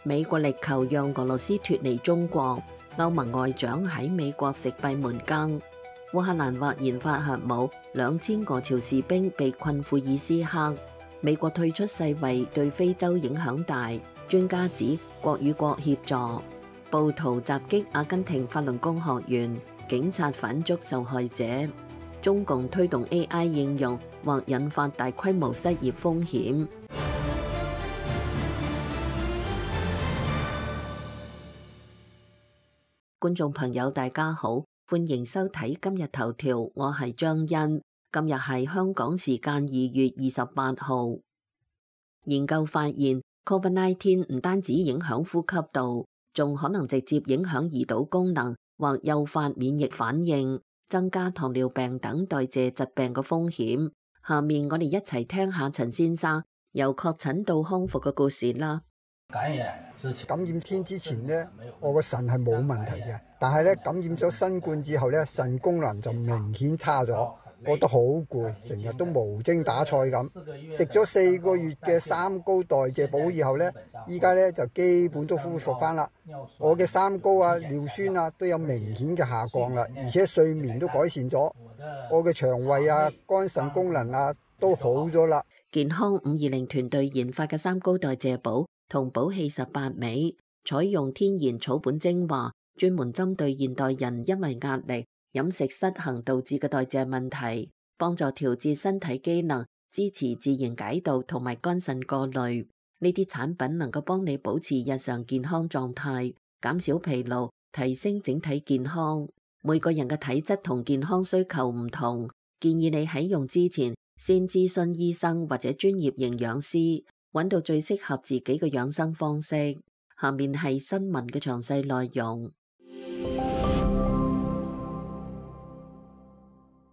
美國力求讓俄羅斯脫離中國，歐盟外長喺美國食閉門羹。烏克蘭或研發核武，2000俄朝士兵被困庫爾斯克。美國退出世衛對非洲影響大，專家指國與國協助。暴徒襲擊阿根廷法輪功學院，警察反捉受害者。中共推動 AI 應用或引發大規模失業風險。觀眾朋友大家好，歡迎收睇今日頭條，我係張欣。今日係香港時間2月28號。研究發現 ，COVID-19 唔單止影響呼吸道，仲可能直接影響胰島功能或誘發免疫反應，增加糖尿病等代謝疾病嘅風險。下面我哋一齊聽下陳先生由確診到康復嘅故事啦。感染天之前呢，我個腎係冇問題嘅，但係咧感染咗新冠之後咧，腎功能就明顯差咗，覺得好攰，成日都無精打采咁。食咗4個月嘅三高代謝補以後咧，依家咧就基本都恢復翻啦。我嘅三高啊、尿酸啊都有明顯嘅下降啦，而且睡眠都改善咗，我嘅腸胃啊、肝腎功能啊都好咗啦。健康520團隊研發嘅三高代謝補同補氣18味，採用天然草本精華，專門針對現代人因為壓力、飲食失衡導致嘅代謝問題，幫助調節身體機能，支持自然解毒同埋肝腎過濾。呢啲產品能夠幫你保持日常健康狀態，減少疲勞，提升整體健康。每個人嘅體質同健康需求唔同，建議你喺用之前先諮詢醫生或者專業營養師，揾到最適合自己嘅養生方式。下面係新聞嘅詳細內容。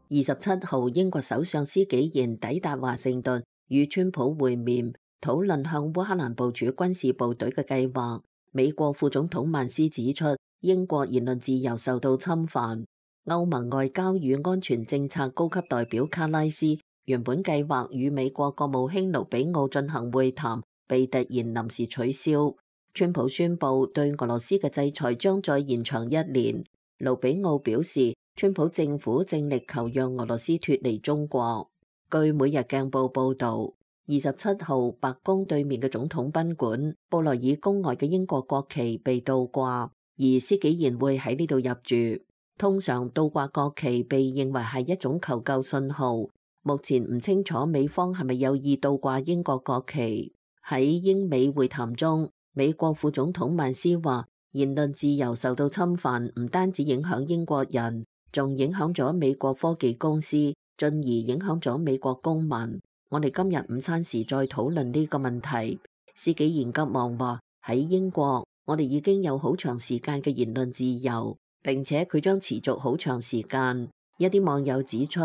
27號，英國首相施紀賢抵達華盛頓，與川普會面，討論向烏克蘭部署軍事部隊嘅計劃。美國副總統曼斯指出，英國言論自由受到侵犯。歐盟外交與安全政策高級代表卡拉斯原本計劃與美國國務卿盧比奧進行會談，被突然臨時取消。川普宣布對俄羅斯嘅制裁將再延長1年。盧比奧表示，川普政府正力求讓俄羅斯脫離中國。據每日鏡報報道，27號白宮對面嘅總統賓館布萊爾宮外嘅英國國旗被倒掛，而施紀賢會喺呢度入住。通常倒掛國旗被認為係一種求救信號。目前唔清楚美方係咪有意倒掛英國國旗。喺英美會談中，美國副總統曼斯話，言論自由受到侵犯，唔單止影響英國人，仲影響咗美國科技公司，進而影響咗美國公民。我哋今日午餐時再討論呢個問題。施紀賢急忙話，喺英國，我哋已經有好長時間嘅言論自由，並且佢將持續好長時間。一啲網友指出，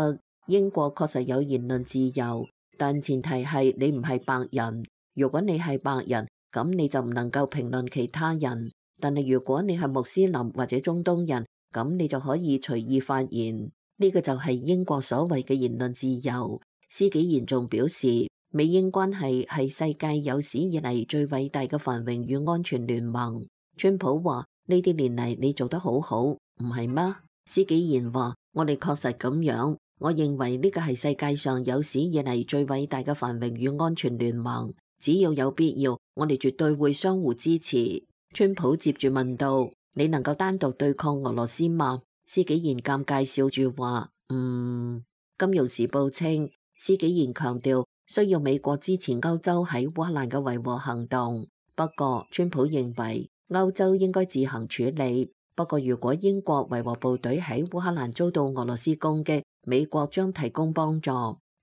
英國確實有言論自由，但前提係你唔係白人。如果你係白人，咁你就唔能夠評論其他人。但係如果你係穆斯林或者中東人，咁你就可以隨意發言。呢個就係英國所謂嘅言論自由。施紀賢仲表示，美英關係係世界有史以嚟最偉大嘅繁榮與安全聯盟。川普話，呢啲年嚟你做得好好，唔係嗎？施紀賢話，我哋確實咁樣。我認為呢個係世界上有史以嚟最偉大嘅繁榮與安全聯盟。只要有必要，我哋絕對會相互支持。川普接住問道，你能夠單獨對抗俄羅斯嗎？施紀賢尷尬笑住話，金融時報稱，施紀賢強調需要美國支持歐洲喺烏克蘭嘅維和行動。不過，川普認為歐洲應該自行處理。不過，如果英國維和部隊喺烏克蘭遭到俄羅斯攻擊，美國將提供幫助。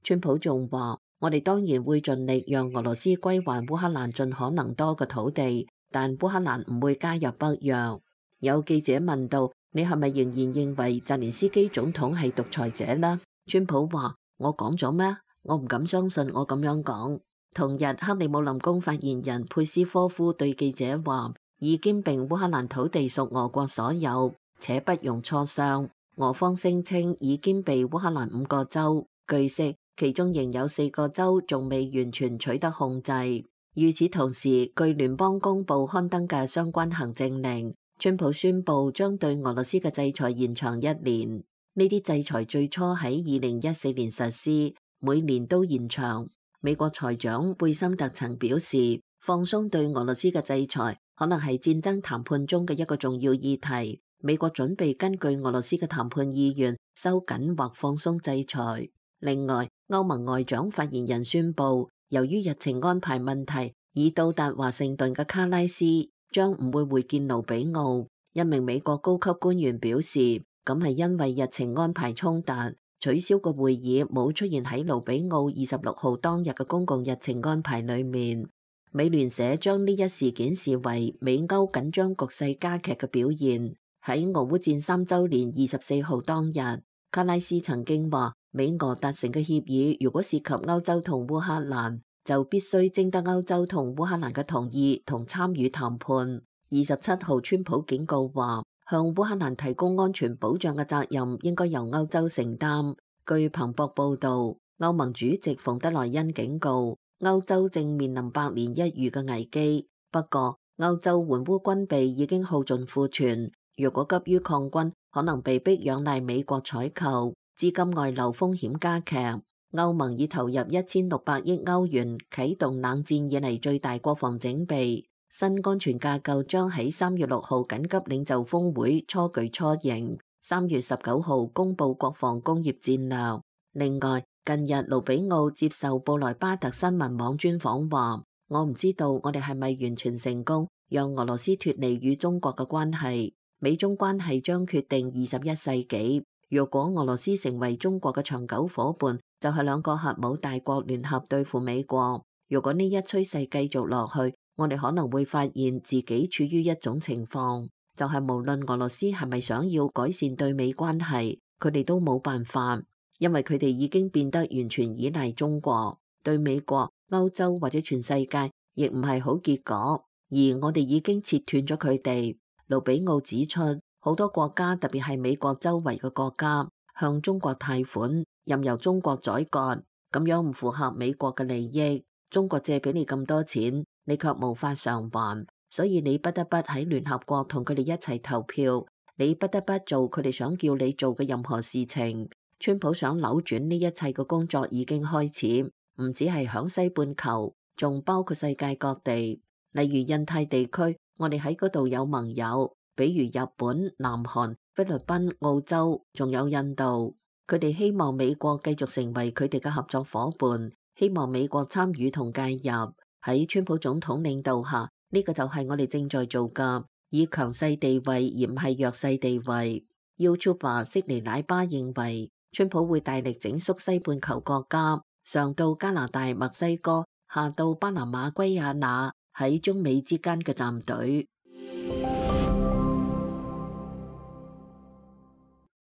川普仲話，我哋當然會盡力讓俄羅斯歸還烏克蘭盡可能多嘅土地，但烏克蘭唔會加入北約。有記者問到，你係咪仍然認為澤連斯基總統係獨裁者呢？川普話，我講咗咩？我唔敢相信我咁樣講。同日，克里姆林宮發言人佩斯科夫對記者話，已經並烏克蘭土地屬俄國所有，且不容磋商。俄方聲稱已經被烏克蘭5個州，據悉其中仍有4個州仲未完全取得控制。與此同時，據聯邦公報刊登嘅相關行政令，川普宣布將對俄羅斯嘅制裁延長1年。呢啲制裁最初喺2014年實施，每年都延長。美國財長貝森特曾表示，放鬆對俄羅斯嘅制裁可能係戰爭談判中嘅一個重要議題。美國準備根據俄羅斯嘅談判意願收緊或放鬆制裁。另外，歐盟外長發言人宣布，由於日程安排問題，已到達華盛頓嘅卡拉斯將唔會會見盧比奧。一名美國高級官員表示，咁係因為日程安排衝突，取消個會議冇出現喺盧比奧26號當日嘅公共日程安排裏面。美聯社將呢一事件視為美歐緊張局勢加劇嘅表現。喺俄烏戰3週年24號當日，卡拉斯曾經話，美俄達成嘅協議如果涉及歐洲同烏克蘭，就必須徵得歐洲同烏克蘭嘅同意同參與談判。27號，川普警告話，向烏克蘭提供安全保障嘅責任應該由歐洲承擔。據彭博報導，歐盟主席馮德萊恩警告，歐洲正面臨百年一遇嘅危機。不過，歐洲援烏軍備已經耗盡庫存，如果急於抗軍，可能被迫仰賴美國採購，資金外流風險加劇。歐盟已投入1600億歐元，啟動冷戰以嚟最大國防整備。新安全架構將喺3月6號緊急領袖峰會初具雛形，3月19號公佈國防工業戰略。另外，近日盧比奧接受布萊巴特新聞網專訪話，我唔知道我哋係咪完全成功讓俄羅斯脫離與中國嘅關係，美中關係將決定21世紀。如果俄羅斯成為中國嘅長久夥伴，就係兩個核武大國聯合對付美國。如果呢一趨勢繼續落去，我哋可能會發現自己處於一種情況，就係無論俄羅斯係咪想要改善對美關係，佢哋都冇辦法，因為佢哋已經變得完全依賴中國，對美國、歐洲或者全世界亦唔係好結果，而我哋已經切斷咗佢哋。盧比奧指出，好多國家，特別係美國周圍嘅國家，向中國貸款，任由中國宰割，咁樣唔符合美國嘅利益。中國借俾你咁多錢，你卻無法償還，所以你不得不喺聯合國同佢哋一齊投票，你不得不做佢哋想叫你做嘅任何事情。川普想扭轉呢一切嘅工作已經開始，唔止係響西半球，仲包括世界各地，例如印太地區，我哋喺嗰度有盟友，比如日本、南韓、菲律賓、澳洲，仲有印度。佢哋希望美國繼續成為佢哋嘅合作夥伴，希望美國參與同介入。喺川普總統領導下，呢個就係我哋正在做嘅，以強勢地位而唔係弱勢地位。YouTuber 悉尼奶巴認為，川普會大力整肅西半球國家，上到加拿大、墨西哥，下到巴拿馬、圭亞那，喺中美之間嘅站隊。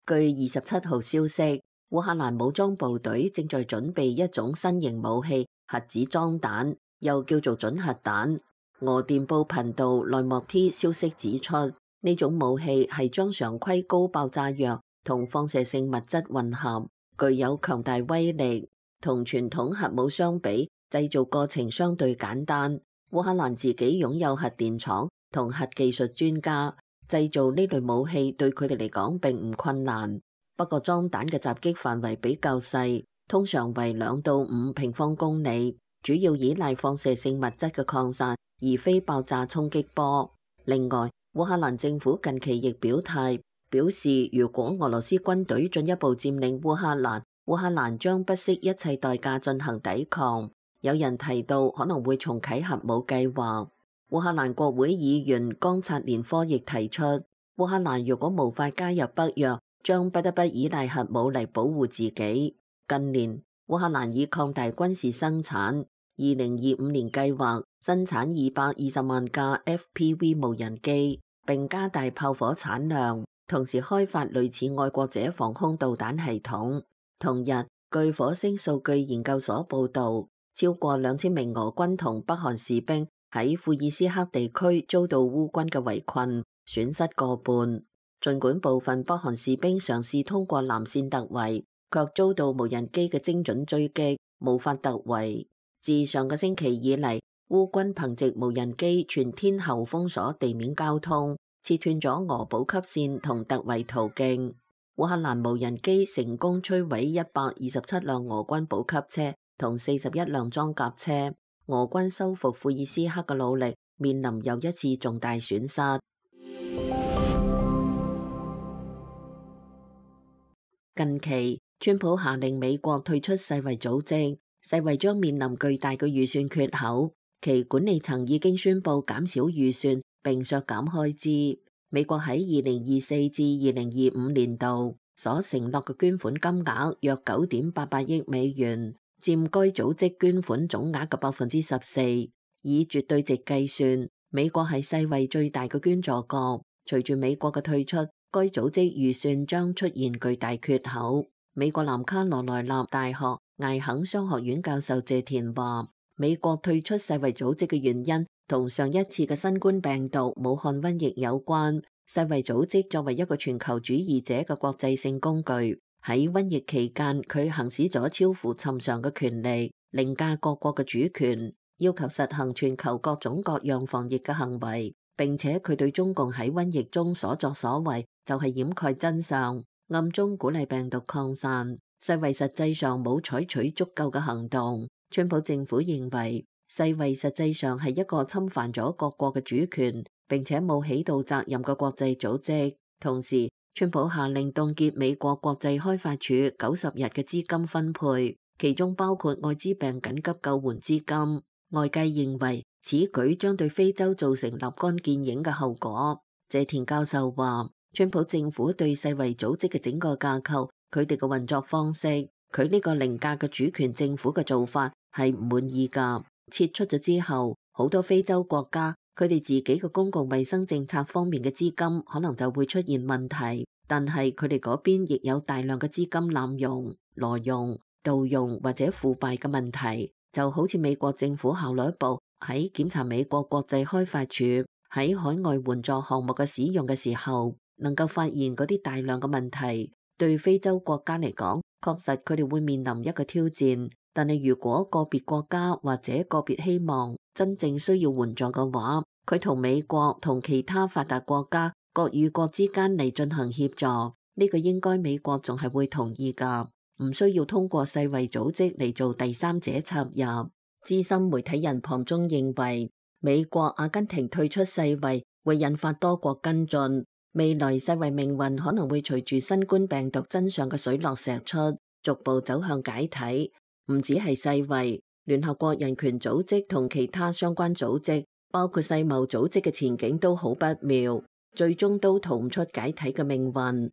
據27號消息，烏克蘭武裝部隊正在準備一種新型武器——核子裝彈，又叫做準核彈。俄電報頻道內莫 T 消息指出，呢種武器係將常規高爆炸藥同放射性物質混合，具有強大威力。同傳統核武相比，製造過程相對簡單。烏克蘭自己擁有核電廠同核技術專家。製造呢類武器對佢哋嚟講並唔困難，不過裝彈嘅襲擊範圍比較細，通常為2到5平方公里，主要依賴放射性物質嘅擴散，而非爆炸衝擊波。另外，烏克蘭政府近期亦表態，表示如果俄羅斯軍隊進一步佔領烏克蘭，烏克蘭將不惜一切代價進行抵抗。有人提到可能會重啟核武計劃。烏克蘭國會議員岡察連科亦提出，烏克蘭如果無法加入北約，將不得不依賴核武嚟保護自己。近年，烏克蘭已擴大軍事生產，2025年計劃生產220萬架 FPV 無人機，並加大炮火產量，同時開發類似愛國者防空導彈系統。同日，據火星數據研究所報導，超過2000名俄軍同北韓士兵喺庫爾斯克地區遭到烏軍嘅圍困，損失過半。儘管部分北韓士兵嘗試通過藍線突圍，卻遭到無人機嘅精準追擊，無法突圍。自上個星期以嚟，烏軍憑藉無人機全天候封鎖地面交通，切斷咗俄補給線同突圍途徑。烏克蘭無人機成功摧毀127輛俄軍補給車同41輛裝甲車。俄軍收復庫爾斯克嘅努力面臨又一次重大損失。近期，川普下令美國退出世衛組織，世衛將面臨巨大嘅預算缺口，其管理層已經宣布減少預算並削減開支。美國喺2024至2025年度所承諾嘅捐款金額約9.88億美元，佔該組織捐款總額嘅14%。以絕對值計算，美國係世衛最大嘅捐助國。隨住美國嘅退出，該組織預算將出現巨大缺口。美國南卡羅來納大學艾肯商學院教授謝田話，美國退出世衛組織嘅原因同上一次嘅新冠病毒武漢瘟疫有關。世衛組織作為一個全球主義者嘅國際性工具，喺瘟疫期間佢行使咗超乎尋常嘅權力，凌駕各國嘅主權，要求實行全球各種各樣防疫嘅行為。並且佢對中共喺瘟疫中所作所為就係掩蓋真相，暗中鼓勵病毒擴散。世衛實際上冇採取足夠嘅行動。川普政府認為世衛實際上係一個侵犯咗各國嘅主權並且冇起到責任嘅國際組織。同時，川普下令凍結美國國際開發署90日嘅資金分配，其中包括愛滋病緊急救援資金。外界認為此舉將對非洲造成立竿見影嘅後果。謝田教授話，川普政府對世衛組織嘅整個架構、佢哋嘅運作方式、佢呢個凌駕嘅主權政府嘅做法係唔滿意㗎。撤出咗之後，好多非洲國家佢哋自己嘅公共衛生政策方面嘅資金可能就會出現問題，但係佢哋嗰邊亦有大量嘅資金濫用、挪用、盜用或者腐敗嘅問題。就好似美國政府效率部喺檢查美國國際開發署喺海外援助項目嘅使用嘅時候，能夠發現嗰啲大量嘅問題。對非洲國家嚟講，確實佢哋會面臨一個挑戰。但係如果個別國家或者個別希望真正需要援助嘅話，佢同美國同其他發達國家各與國之間嚟進行協助，呢個應該美國仲係會同意㗎。唔需要通過世衛組織嚟做第三者插入。資深媒體人龐中認為，美國、阿根廷退出世衛會引發多國跟進，未來世衛命運可能會隨住新冠病毒真相嘅水落石出，逐步走向解體。唔止係世衛，聯合國人權組織同其他相關組織，包括世貿組織嘅前景都好不妙，最終都逃唔出解體嘅命運。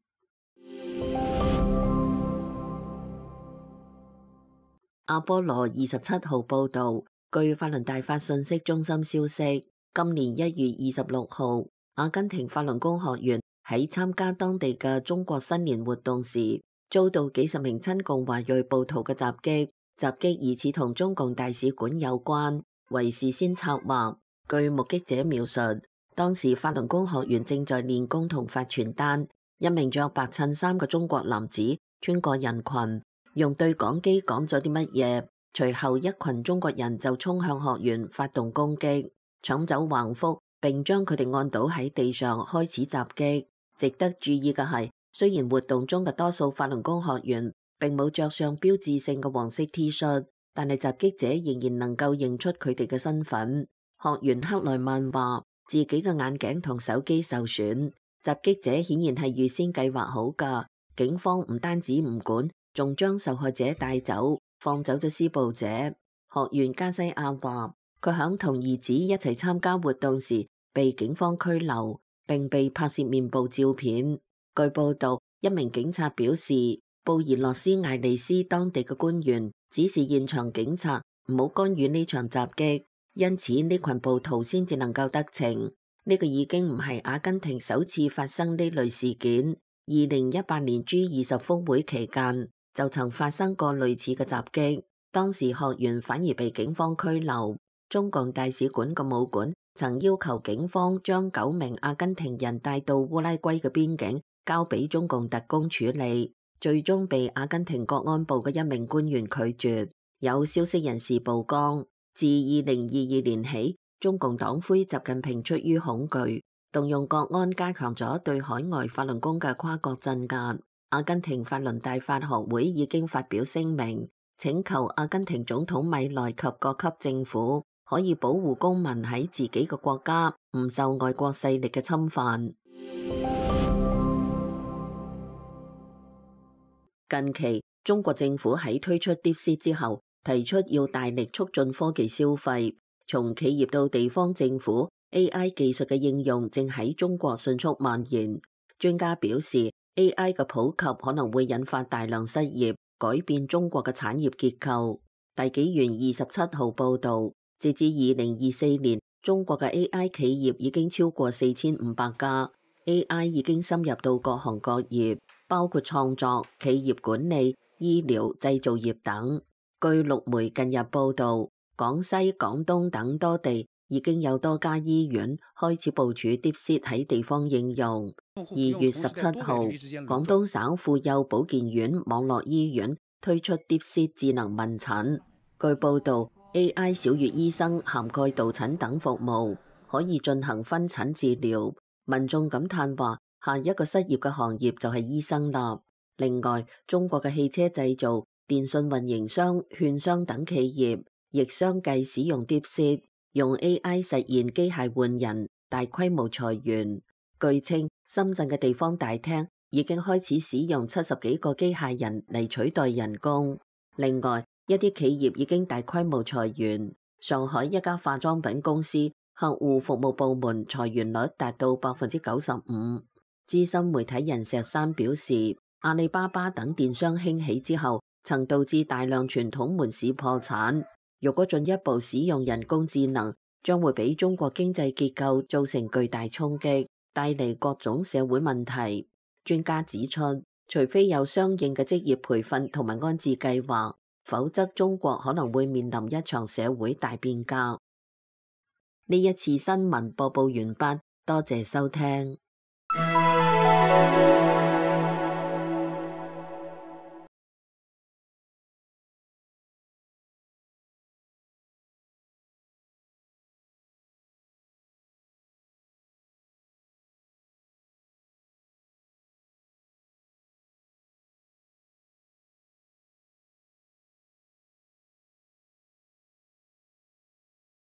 阿波羅27號報導，據法倫大法信息中心消息，今年1月26號，阿根廷法輪功學員喺參加當地嘅中國新年活動時，遭到幾十名親共華裔暴徒嘅襲擊，襲擊疑似同中共大使館有關，為事先策劃。據目擊者描述，當時法輪功學員正在練功同發傳單，一名着白襯衫嘅中國男子穿過人群，用對講機講咗啲乜嘢，隨後一群中國人就衝向學員發動攻擊，搶走橫幅並將佢哋按倒喺地上開始襲擊。值得注意嘅係，雖然活動中嘅多數法輪功學員並冇着上標誌性嘅黃色 T 恤，但係襲擊者仍然能夠認出佢哋嘅身份。學員克萊曼話自己嘅眼鏡同手機受損，襲擊者顯然係預先計劃好㗎。警方唔單止唔管，仲將受害者帶走，放走咗施暴者。學員加西亞話，佢響同兒子一齊參加活動時被警方拘留，並被拍攝面部照片。據報道，一名警察表示，布宜諾斯艾利斯當地嘅官員指示現場警察唔好干預呢場襲擊，因此呢群暴徒先至能夠得逞。呢個已經唔係阿根廷首次發生呢類事件。2018年 G20 峰會期間就曾發生過類似嘅襲擊，當時學員反而被警方拘留。中共大使館嘅武館曾要求警方將9名阿根廷人帶到烏拉圭嘅邊境，交俾中共特工處理，最終被阿根廷國安部嘅一名官員拒絕。有消息人士曝光，自2022年起，中共黨魁習近平出於恐懼，動用國安加強咗對海外法輪功嘅跨國鎮壓。阿根廷法輪大法學會已經發表聲明，請求阿根廷總統米萊及各級政府可以保護公民喺自己嘅國家唔受外國勢力嘅侵犯。近期，中國政府喺推出 DeepSeek 之後，提出要大力促進科技消費，從企業到地方政府 AI 技術嘅應用正喺中國迅速蔓延。專家表示，AI 嘅普及可能會引發大量失業，改變中國嘅產業結構。大紀元27號報導，截至2024年，中國嘅 AI 企業已經超過4500家 ，AI 已經深入到各行各業，包括創作、企業管理、醫療、製造業等。據陸媒近日報導，廣西、廣東等多地已經有多家醫院開始部署 DeepSeek 喺地方應用。2月17號，廣東省婦幼保健院網絡醫院推出 DeepSeek 智能問診。據報導 ，AI 小月醫生涵蓋導診等服務，可以進行分診治療。民眾感嘆話：下一個失業嘅行業就係醫生啦。另外，中國嘅汽車製造、電信運營商、券商等企業亦相繼使用 DeepSeek，用 AI 實現機械換人，大規模裁員。據稱，深圳嘅地方大廳已經開始使用70幾個機械人嚟取代人工。另外，一啲企業已經大規模裁員。上海一家化妝品公司客戶服務部門裁員率達到95%。資深媒體人石山表示，阿里巴巴等電商興起之後，曾導致大量傳統門市破產。如果進一步使用人工智能，將會俾中國經濟結構造成巨大衝擊，帶嚟各種社會問題。專家指出，除非有相應嘅職業培訓同埋安置計劃，否則中國可能會面臨一場社會大變革。呢一次新聞播報完畢，多謝收聽。